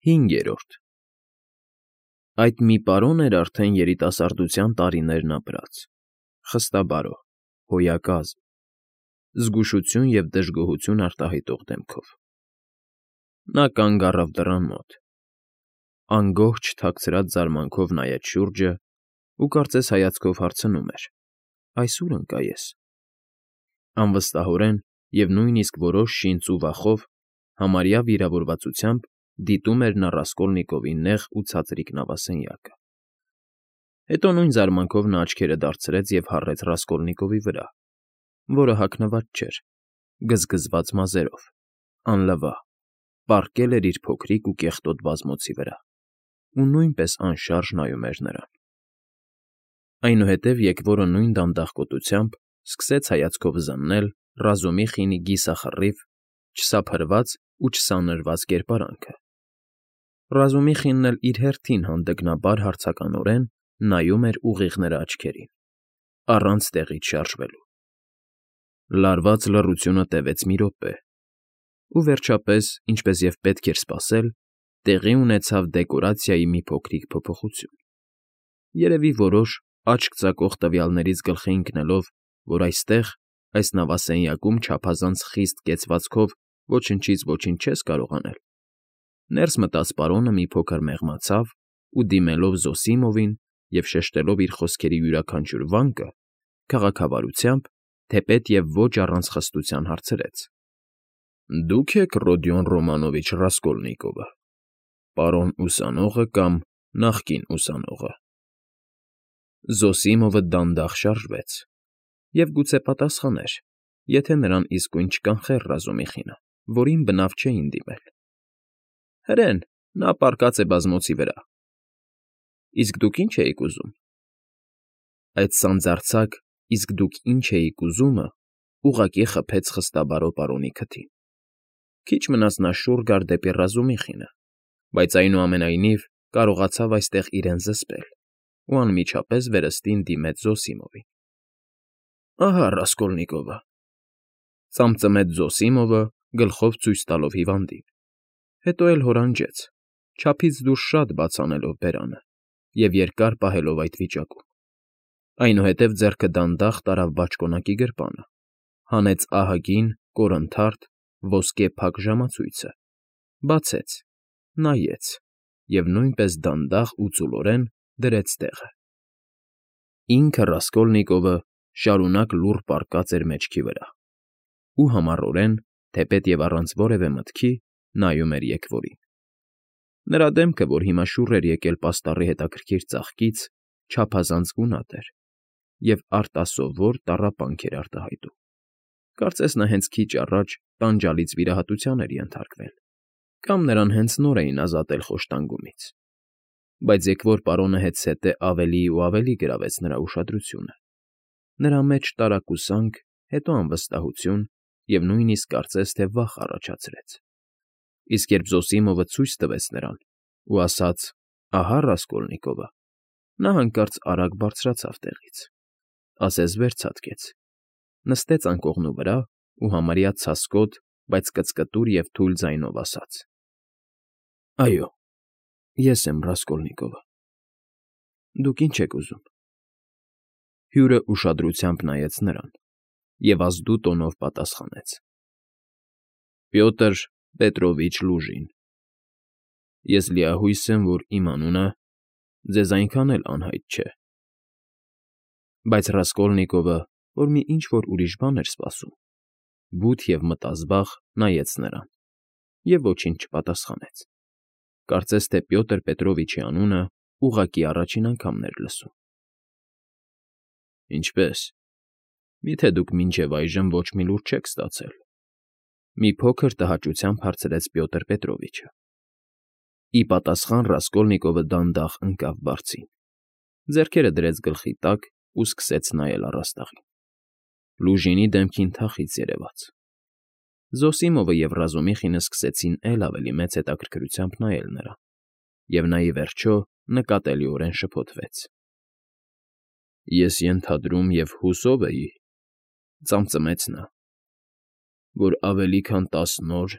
5. Այդ մի պարոն էր արդեն երիտասարդության տարիներն ապրած, խստաբարո, հոյակազմ, զգուշություն և դժգոհություն արտահայտող դեմքով. Նա կանգ առավ դռան մոտ, անգոհճ թաքցրած զարմանքով նայեց շուրջը ու կարծես հայացքով հարցնում էր. «Այս ո՞ւր ընկա ես»։ Անվստահորեն և նույնիսկ որոշ շինծ ու վախով, համարյա վիրավորվածությամբ դիտում էր նա Ռասկոլնիկովի նեղ ու ցածրիկ նավասենյակը։ Հետո նույն զարմանքով նա աչքերը դարձրեց և հառեց Ռասկոլնիկովի վրա, որը հագնված չէր, գզգզված մազերով, անլվա, պառկել էր իր փոքրիկ ու կեղտոտ բազմոցի վրա ու նույնպես անշարժ նայում էր նրան։ Այնուհետև եկվորը նույն դանդաղկոտությամբ սկսեց հայացքով զննել Ռազումիխինի գիսախռիվ, չսափրված ու չսանրված կերպարանքը։ Ռազումիխինն էլ իր հերթին հանդգնաբար հարցականորեն նայում էր ուղիղ նրա աչքերին, առանց տեղից շարժվելու։ Լարված լռությունը տևեց մի րոպե, ու վերջապես, ինչպես և պետք էր սպասել, տեղի ունեցավ դեկորացիայի մի փոքրիկ փոփոխություն։ Երևի որոշ աչք ծակող տվյալներից գլխի ընկնելով, որ այստեղ, այս նավասենյակում չափազանց խիստ կեցվածքով ոչնչից ոչինչ չես կարող անել, ներս մտած պարոնը մի փոքր մեղմացավ ու, դիմելով Զոսիմովին և շեշտելով իր խոսքերի յուրաքանչյուր վանկը, քաղաքավարությամբ, թեպետ և ոչ առանց խստության հարցրեց. «Դուք եք Ռոդիոն Ռոմանովիչ Ռասկոլնիկովը, պարոն ուսանողը կամ նախկին ուսանողը»։ Զոսիմովը դանդաղ շարժվեց և գուցե պատասխաներ, եթե նրան իսկույն չկանխեր Ռազումիխինը, որին բնավ չէին դիմել։ Հրեն, նա պառկած է բազմոցի վրա։ Իսկ դուք ի՞նչ էիք ուզում։ Այդ սանձարձակ «իսկ դուք ի՞նչ էիք ուզում»֊ը ուղղակի խփեց խստաբարո պարոնի քթին։ Քիչ մնաց նա շուռ գար դեպի Ռազումիխինը, բայց այնուամենայնիվ կարողացավ այստեղ իրեն զսպել ու անմիջապես վերստին դիմեց Զոսիմովին։ «Ահա Ռասկոլնիկովը», ծամծմեց Զոսիմովը, գլխով ցույց տալով հիվանդին, հետո էլ հորանջեց, չափից դուրս շատ բաց անելով բերանը և երկար պահելով այդ վիճակում։ Այնուհետև ձեռքը դանդաղ տարավ բաճկոնակի գրպանը, հանեց ահագին, կորնթարթ, ոսկե փակ ժամացույցը, բացեց, նայեց և նույնպես դանդաղ ու ծուլորեն դրեց տեղը։ Ինքը Ռասկոլնիկովը շարունակ լուռ պառկած էր մեջքի վրա ու համառորեն, թեպետ և առանց որևէ մտքի, նայում էր եկվորին։ Նրա դեմքը, որ հիմա շուռ էր եկել պաստառի հետաքրքիր ծաղկից, չափազանց գունատ էր և արտասովոր տառապանք էր արտահայտում։ Կարծես նա հենց քիչ առաջ տանջալից վիրահատության էր ենթարկվել, կամ նրան հենց նոր էին ազատել խոշտանգումից։ Բայց եկվոր պարոնը հետզհետե ավելի ու ավելի գրավեց նրա ուշադրությունը։ Նրա մեջ տարակուսանք, հետո անվստահություն և նույնիսկ կարծես թե վախ առաջացրեց։ Իսկ երբ Զոսիմովը ցույց տվեց նրան ու ասաց. «Ահա Ռասկոլնիկովը», նա հանկարծ արագ բարձրացավ տեղից, ասես վեր ցատկեց, նստեց անկողնու վրա ու համարյա ցասկոտ, բայց կծկտուր և թույլ ձայնով ասաց. «Այո, ես եմ Ռասկոլնիկովը։ Դուք ի՞նչ եք ուզում»։ Հյուրը ուշադրությամբ նայեց նրան և ազդու տոնով պատասխանեց. «Պյոտր Պետրովիչ Լուժին։ Ես լիահույս եմ, որ իմ անունը ձեզ այնքան էլ անհայտ չէ»։ Բայց Ռասկոլնիկովը, որ մի ինչ֊որ ուրիշ բան էր սպասում, բութ և մտազբաղ նայեց նրան և ոչինչ չպատասխանեց, կարծես թե Պյոտր Պետրովիչի անունը ուղղակի առաջին անգամն էր լսում։ «Ինչպե՞ս, միթե դուք մինչև այժմ ոչ մի լուր չեք ստացել», մի փոքր տհաճությամբ հարցրեց Պյոտր Պետրովիչը։ Ի պատասխան Ռասկոլնիկովը դանդաղ ընկավ բարձին, ձեռքերը դրեց գլխի տակ ու սկսեց նայել առաստաղին։ Լուժինի դեմքին թախիծ երևաց։ Զոսիմովը և Ռազումիխինը սկսեցին էլ ավելի մեծ հետաքրքրությամբ նայել նրան, և նա, ի վերջո, նկատելիորեն շփոթվեց։ «Ես ենթադրում և հուսով էի,֊ ծամծմեց նա,֊ որ ավելի քան 10 օր,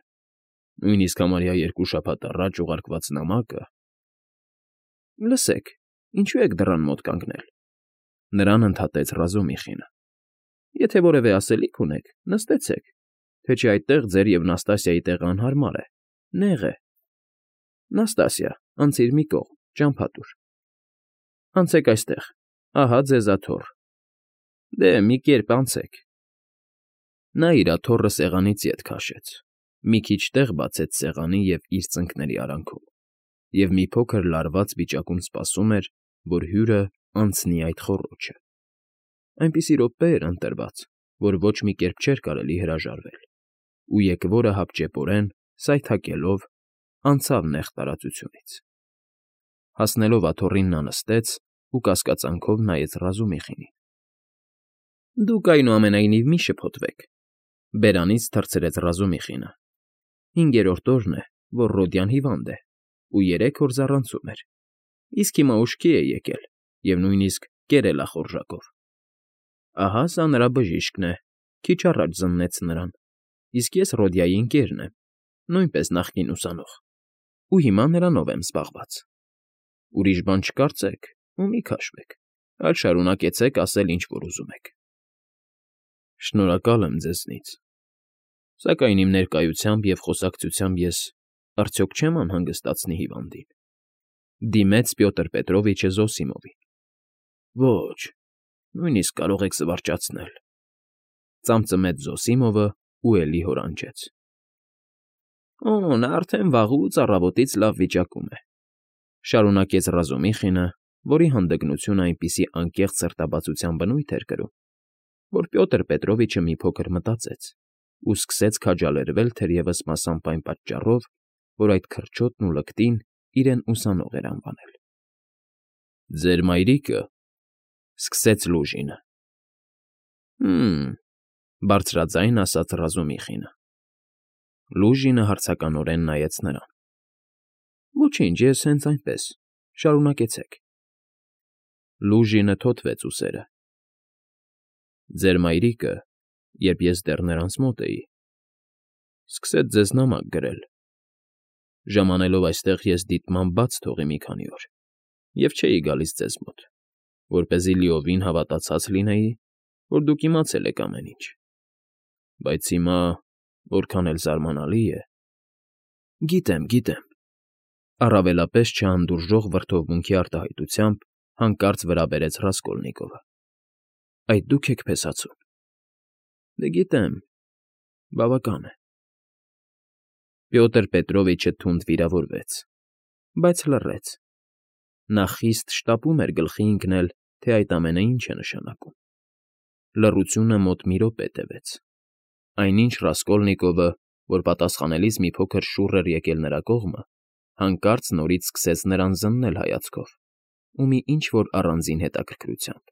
Նույնիսկ համարյա 2 շաբաթ առաջ ուղարկված նամակը… Լսեք, ինչու եք դռան մոտ կանգնել,֊ նրան ընդհատեց Ռազումիխինը։ Եթե որևէ ասելիք ունեք, նստեցեք, թե չէ այդտեղ ձեր և Նաստասիայի տեղը անհարմար է, նեղ է… Նաստասիա, անցիր մի կողմ, ճամփա տուր… Անցեք այստեղ, ահա ձեզ աթոռ… Դե, մի կերպ անցեք… Նա իր աթոռը սեղանից ետ քաշեց, մի քիչ տեղ բացեց սեղանի և իր ծնկների արանքում և մի փոքր լարված վիճակում սպասում էր, որ հյուրը անցնի այդ խոռոչը… Այնպիսի րոպե էր ընտրված, որ ոչ մի կերպ չէր կարելի հրաժարվել, ու եկվորը հապճեպորեն, սայթաքելով, անցավ նեղ տարածությունից… Հասնելով աթոռին նա նստեց ու կասկածանքով նայեց Ռազումիխինին։ ֊ Դուք, այնուամենայնիվ, մի շփոթվեք,֊ բերանից թռցրեց Ռազումիխինը։ 5-րդ օրն է, որ Ռոդյան հիվանդ է ու 3 օր ձառանցում էր, իսկ հիմա ուշքի է եկել և նույնիսկ կերել ա խորժակով… Ահա սա նրա բժիշկն է, քիչ առաջ զննեց նրան, իսկ ես Ռոդյայի ընկերն եմ, նույնպես նախկին ուսանող, ու հիմա նրանով եմ զբաղված… Ուրիշ բան չկարծեք ու մի քաշվեք, այլ շարունակեցեք ասել, ինչ որ ուզում եք։ ֊ Շնորհակալ եմ ձեզնից, սակայն իմ ներկայությամբ և խոսակցությամբ ես արդյոք չեմ անհանգստացնի հիվանդին,֊ դիմեց Պյոտր Պետրովիչը Զոսիմովին։ ֊ Ոչ, նույնիսկ կարող եք զվարճացնել,֊ ծամծմեց Զոսիմովը ու էլի հորանջեց։ ֊ Օ, նա արդեն վաղուց առավոտից լավ վիճակում է,֊ շարունակեց Ռազումիխինը, որի հանդգնությունը այնպիսի անկեղծ սրտաբացության բնույթ էր կրում, որ Պյոտր Պետրովիչը մի փոքր մտածեց ու սկսեց քաջալերվել թերևս մասամբ այն պատճառով, որ այդ քրչոտն ու լկտին իրեն ուսանող էր անվանել։ ֊ Ձեր մայրիկը,֊ սկսեց Լուժինը։ ֊ Հը՛մ,֊ բարձրաձայն ասաց Ռազումիխինը։ Լուժինը հարցականորեն նայեց նրան։ ֊ Ոչինչ, ես հենց այնպես, շարունակեցեք… Լուժինը թոթվեց ուսերը։ ֊ Ձեր մայրիկը, երբ ես դեռ նրանց մոտ էի, սկսեց ձեզ նամակ գրել… Ժամանելով այստեղ ես դիտմամբ բաց թողի մի քանի օր և չէի գալիս ձեզ մոտ, որպեսզի լիովին հավատացած լինեի, որ դուք իմացել եք ամեն ինչ… Բայց հիմա, որքան էլ զարմանալի է… ֊ Գիտեմ, գիտեմ,֊ առավելապես չհանդուրժող վրդովմունքի արտահայտությամբ հանկարծ վրա բերեց Ռասկոլնիկովը։֊ Այդ դուք եք փեսացուն… ֊ Դե գիտեմ, բավական է… Պյոտր Պետրովիչը թունդ վիրավորվեց, բայց լռեց… Նա խիստ շտապում էր գլխի ընկնել, թե այդ ամենը ինչ է նշանակում… Լռությունը մոտ մի րոպե տևեց… Այնինչ Ռասկոլնիկովը, որ պատասխանելիս մի փոքր շուռ էր եկել նրա կողմը, հանկարծ նորից սկսեց նրան զննել հայացքով ու մի ինչ֊որ առանձին հետաքրքրությամբ,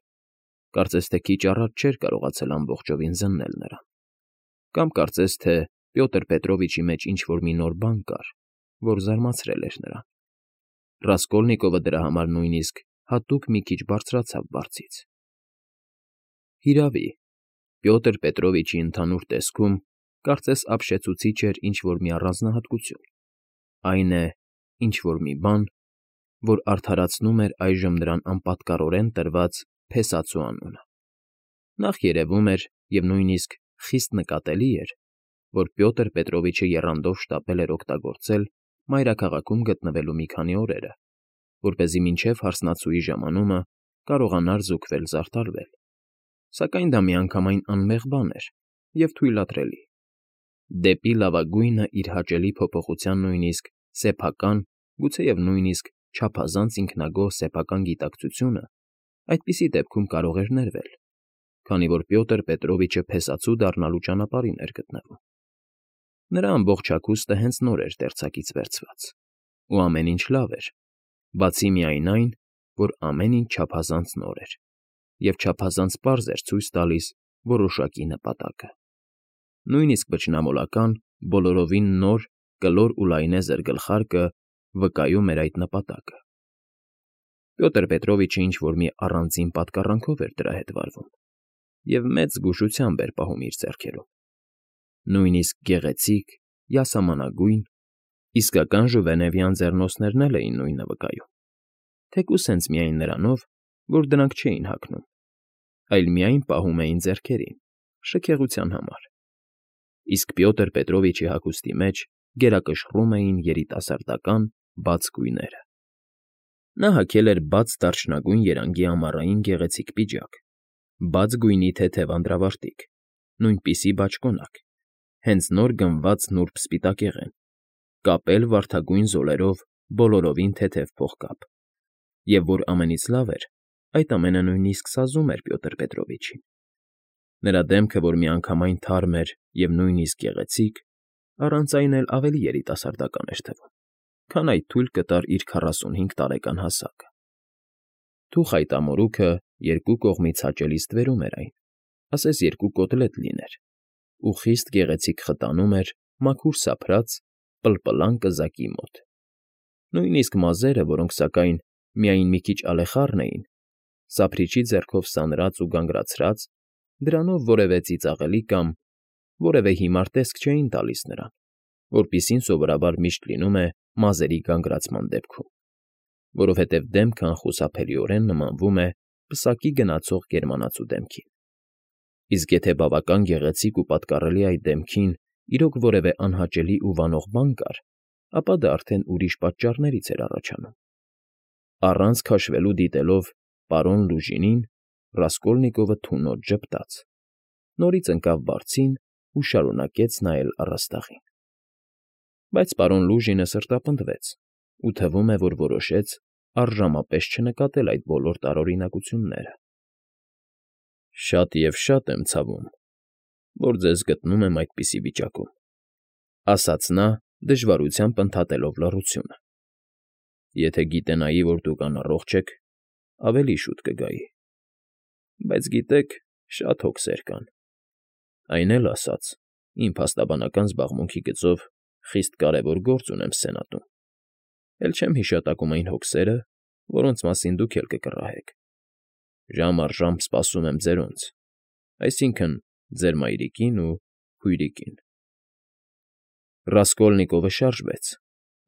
կարծես թե քիչ առաջ չէր կարողացել ամբողջովին զննել նրան, կամ կարծես թե Պյոտր Պետրովիչի մեջ ինչ֊որ մի նոր բան կար, որ զարմացրել էր նրան… Ռասկոլնիկովը դրա համար նույնիսկ հատուկ մի քիչ բարձրացավ բարձից։ Հիրավի, Պյոտր Պետրովիչի ընդհանուր տեսքում կարծես ապշեցուցիչ էր ինչ֊որ մի առանձնահատկություն, այն է, ինչ֊որ մի բան, որ արդարացնում էր այժմ նրան անպատկառորեն տրված փեսացու անունը… Նախ երևում էր և նույնիսկ խիստ նկատելի էր, որ Պյոտր Պետրովիչը եռանդով շտապել էր օգտագործել մայրաքաղաքում գտնվելու մի քանի օրերը, որպեսզի մինչև հարսնացուի ժամանումը կարողանար զուգվել֊զարդարվել, սակայն դա միանգամայն անմեղ բան էր և թույլատրելի… Դեպի լավագույնը իր հաճելի փոփոխության նույնիսկ սեփական, գուցեև նույնիսկ չափազանց ինքնագոհ սեփական գիտակցությունը այդպիսի դեպքում կարող էր ներվել, քանի որ Պյոտր Պետրովիչը փեսացու դառնալու ճանապարհին էր գտնվում… Նրա ամբողջ հագուստը հենց նոր էր դերձակից վերցված, ու ամեն ինչ լավ էր, բացի միայն այն, որ ամեն ինչ չափազանց նոր էր և չափազանց պարզ էր ցույց տալիս որոշակի նպատակը… Նույնիսկ վճռամոլական, բոլորովին նոր, կլոր ու լայնեզր գլխարկը վկայում էր այդ նպատակը… Պյոտր Պետրովիչը ինչ֊որ մի առանձին պատկառանքով էր դրա հետ վարվում և մեծ զգուշությամբ էր պահում իր ձեռքերում… Նույնիսկ գեղեցիկ, յասամանագույն Իսկական ժուվենևյան ձեռնոցներն էլ էին նույնը վկայում, թեկուզ հենց միայն նրանով, որ դրանք չէին հագնում, այլ միայն պահում էին ձեռքերին, շքեղության համար, իսկ Պյոտր Պետրովիչի հագուստի մեջ գերակշռում էին երիտասարդական բաց գույները։ Նա հագել էր բաց դարչնագույն երանգի ամառային գեղեցիկ պիջակ, բաց գույնի թեթև անդրավարտիք, նույնպիսի բաճկոնակ, հենց նոր գնված նուրբ սպիտակեղեն, կապել վարդագույն զոլերով բոլորովին թեթև փողկապ, և որ ամենից լավ էր, այդ ամենը նույնիսկ սազում էր Պյոտր Պետրովիչին։ Նրա դեմքը, որ միանգամայն թարմ էր և նույնիսկ գեղեցիկ, առանց այն էլ ավելի երիտասարդական էր թվում, քան այդ թույլ կտար իր 45 տարեկան հասակը։ Թուխ այդ ամորուքը երկու կողմից հաճելի ստվերում էր այն, ասես երկու կոտլետ լիներ, ու խիստ գեղեցիկ խտանում էր մաքուր սափրած, պլպլան կզակի մոտ։ Նույնիսկ մազերը, որոնք, սակայն, միայն մի քիչ ալեխառն էին, սափրիչի ձեռքով սանրած ու գանգրացրած, դրանով որևէ ծիծաղելի կամ որևէ հիմար տեսք չէին տալիս նրան, որպիսին սովորաբար միշտ լինում է մազերի գանգրացման դեպքում, որովհետև դեմքը անխուսափելիորեն նմանվում է պսակի գնացող գերմանացու դեմքին։ Իսկ եթե բավական գեղեցիկ ու պատկառելի այդ դեմքին իրոք որևէ անհաճելի ու վանող բան կար, ապա դա արդեն ուրիշ պատճառներից էր առաջանում։ Առանց քաշվելու դիտելով պարոն Լուժինին, Ռասկոլնիկովը թունոց ժպտաց, նորից ընկավ բարձին ու շարունակեց նայել առաստաղին։ Բայց պարոն Լուժինը սրտապնդվեց ու թվում է, որ որոշեց առժամապես չնկատել այդ բոլոր տարօրինակությունները։ «Շատ և շատ եմ ցավում, որ ձեզ գտնում եմ այդպիսի վիճակում», ֊ ասաց նա, դժվարությամբ ընդհատելով լռությունը։ «Եթե գիտենայի, որ դուք անառողջ եք, ավելի շուտ կգայի։ Բայց, գիտեք, շատ հոգսեր կան։ Այն էլ ասած, իմ փաստաբանական զբաղմունքի գծով խիստ կարևոր գործ ունեմ Սենատում, էլ չեմ հիշատակում այն հոգսերը, որոնց մասին դուք էլ կկռահեք։ Ժամ առ ժամ սպասում եմ ձերոնց, այսինքն՝ ձեր մայրիկին ու քույրիկին»։ Ռասկոլնիկովը շարժվեց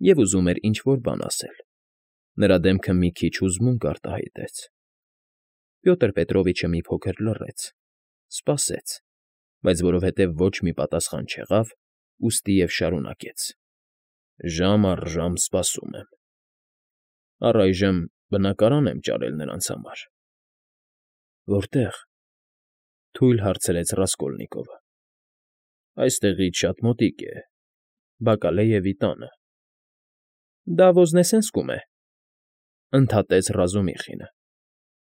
և ուզում էր ինչ֊որ բան ասել։ Նրա դեմքը մի քիչ հուզմունք արտահայտեց։ Պյոտր Պետրովիչը մի փոքր լռեց, սպասեց, բայց որովհետև ոչ մի պատասխան չեղավ, ուստի և շարունակեց. «Ժամ առ ժամ սպասում եմ։ Առայժմ բնակարան եմ ճարել նրանց համար»։ «Որտե՞ղ»։ թույլ հարցրեց Ռասկոլնիկովը։ «Այստեղից շատ մոտիկ է, Բակալեյևի տանը»։ «Դա Վոզնեսենսկում է», ֊ ընդհատեց Ռազումիխինը։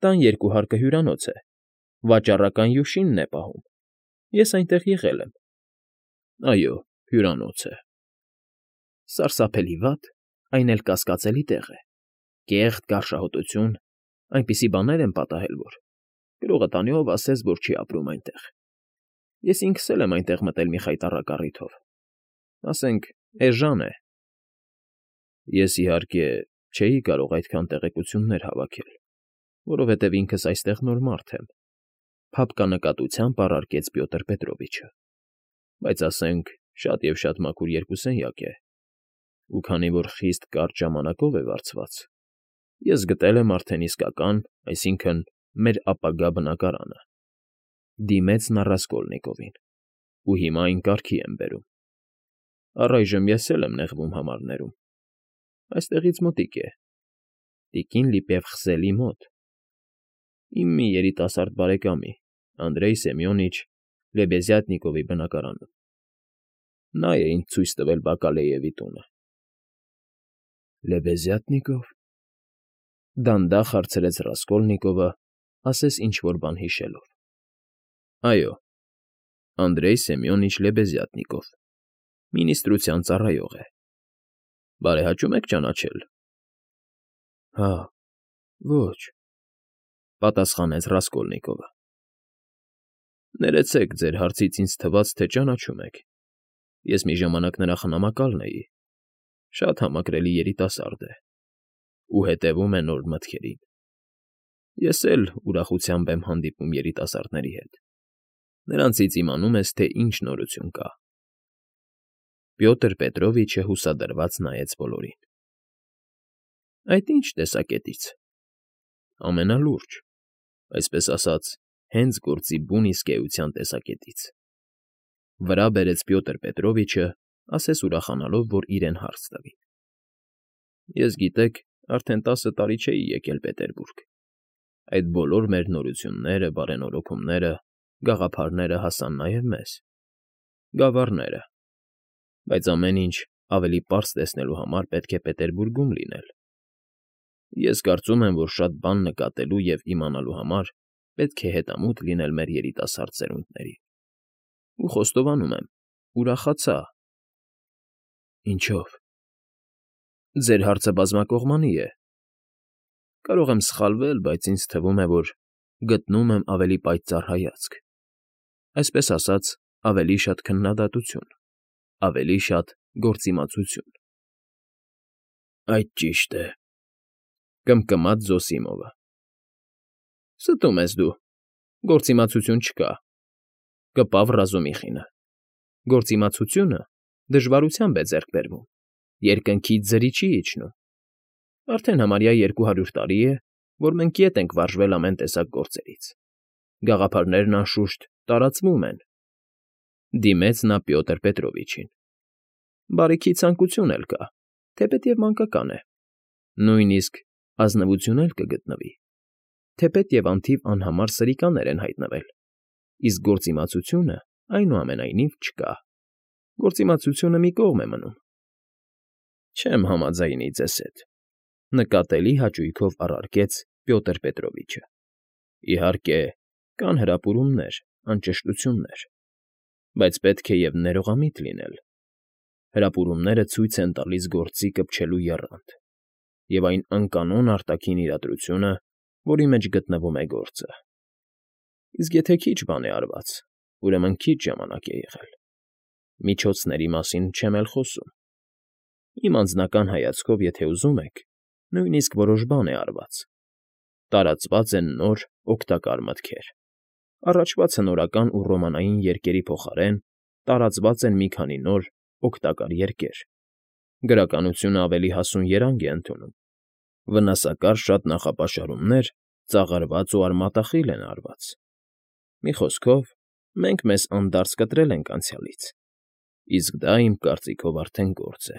«Տան երկու հարկը հյուրանոց է, վաճառական յուշինն է պահում։ Ես այնտեղ եղել եմ»։ «Այո, հյուրանոց է»։ «Սարսափելի վատ, այն էլ կասկածելի տեղ է, կեղտ, գարշահոտություն, այնպիսի բաներ են պատահել, որ… Գրողը տանի, ով ասես, որ չի ապրում այնտեղ։ Ես ինքս էլ եմ այնտեղ մտել մի խայտառակ առիթով, ասենք, էժան է»։ «Ես, իհարկե, չէի կարող այդքան տեղեկություններ հավաքել, որովհետև ինքս այստեղ նոր մարդ եմ», ֊ փափկանկատությամբ առարկեց Պյոտր Պետրովիչը։ «Բայց, ասենք, շատ և շատ մաքուր երկուսենյակ է, ու քանի որ խիստ կարճ ժամանակով է վարձված, ես գտել եմ արդեն իսկական, այսինքն՝ մեր ապագա բնակարանը»։ Դիմեց նա Ռասկոլնիկովին։ «Ու հիմա այն կարգի եմ բերում։ Առայժմ ես էլ եմ նեղվում համարներում։ Այստեղից մոտիկ է, տիկին Լիպևխզելի մոտ, իմ մի երիտասարդ բարեկամի, Անդրեյ Սեմյոնիչ Լեբեզյատնիկովի բնակարանում։ Նա է ինձ ցույց տվել Բակալեյևի տունը»։ «Լեբեզյատնիկով», ֊ դանդաղ հարցրեց Ռասկոլնիկովը, ասես ինչ֊որ բան հիշելով։ «Այո, Անդրեյ Սեմյոնիչ Լեբեզյատնիկով, մինիստրության ծառայող է։ Բարեհաճում եք ճանաչել»։ «Հա, ոչ», ֊ պատասխանեց Ռասկոլնիկովը։ «Ներեցեք, ձեր հարցից ինձ թվաց, թե ճանաչում եք։ Ես մի ժամանակ նրա խնամակալն էի, շատ համակրելի երիտասարդ է ու հետևում է նոր մտքերին։ Ես էլ ուրախությամբ եմ հանդիպում երիտասարդների հետ, նրանցից իմանում ես, թե ինչ նորություն կա»։ Պյոտր Պետրովիչը հուսադրված նայեց բոլորին։ Այդ ի՞նչ տեսակետից։ Ամենալուրջ, այսպես ասած, հենց գործի բուն իսկ էության տեսակետից։ Վրա բերեց Պյոտր Պետրովիչը, ասես ուրախանալով, որ իրեն հարց տվին։ Ես, գիտեք, արդեն 10 տարի չէի եկել Պետերբուրգ։ Այդ բոլոր մեր նորությունները, բարենորոգումները, գաղափարները հասան նաև մեզ։ Գավառները։ Բայց ամեն ինչ ավելի պարզ տեսնելու համար պետք է Պետերբուրգում լինել։ Ես կարծում եմ, որ շատ բան նկատելու և իմանալու համար պետք է հետամուտ լինել մեր երիտասարդ սերունդներին։ Ու խոստովանում եմ, ուրախացա։ Ինչո՞վ։ Ձեր հարցը բազմակողմանի է։ Կարող եմ սխալվել, բայց ինձ թվում է, որ գտնում եմ ավելի պայծառ հայացք, այսպես ասած, ավելի շատ քննադատություն, ավելի շատ գործիմացություն։ Այդ ճիշտ է,֊ կմկմաց Զոսիմովը։ Ստում ես դու, գործիմացություն չկա,֊ կպավ Ռազումիխինը։ Գործիմացությունը դժվարությամբ է ձեռք բերվում, երկնքից ձրի չի իջնում։ Արդեն համարյա 200 տարի է, որ մենք ետ ենք վարժվել ամեն տեսակ գործերից։ Գաղափարներն անշուշտ տարածվում են։ Դիմեց նա Պյոտր Պետրովիչին։ Բարիքի ցանկություն էլ կա, թեպետև մանկական է։ Նույնիսկ ազնվություն էլ կգտնվի, թեպետև անթիվ անհամար սրիկաներ են հայտնվել, իսկ գործիմացությունը, այնուամենայնիվ, չկա։ Գործիմացությունը մի կողմ է մնում։ Չեմ համաձայնի ձեզ հետ,֊ նկատելի հաճույքով առարկեց Պյոտր Պետրովիչը։ Իհարկե, կան հրապուրումներ, անճշտություններ, բայց պետք է և ներողամիտ լինել։ Հրապուրումները ցույց են տալիս գործի կպչելու եռանդ և այն անկանոն արտաքին իրադրությունը, որի մեջ գտնվում է գործը։ Իսկ եթե քիչ բան է արված, ուրեմն քիչ ժամանակ է եղել։ Միջոցների մասին չեմ էլ խոսում։ Իմ անձնական հայացքով, եթե ուզում եք, նույնիսկ որոշ բան է արված։ Տարածված են նոր, օգտակար մտքեր։ Առաջվա ցնորական ու ռոմանային երգերի փոխարեն տարածված են մի քանի նոր, օգտակար երգեր։ Գրականությունը ավելի հասուն երանգ է ընդունում։ Վնասակար շատ նախապաշարումներ ծաղրված ու արմատախիլ են արված։ Մի խոսքով, մենք մեզ անդարձ կտրել ենք անցյալից, իսկ դա, իմ կարծիքով, արդեն գործ է։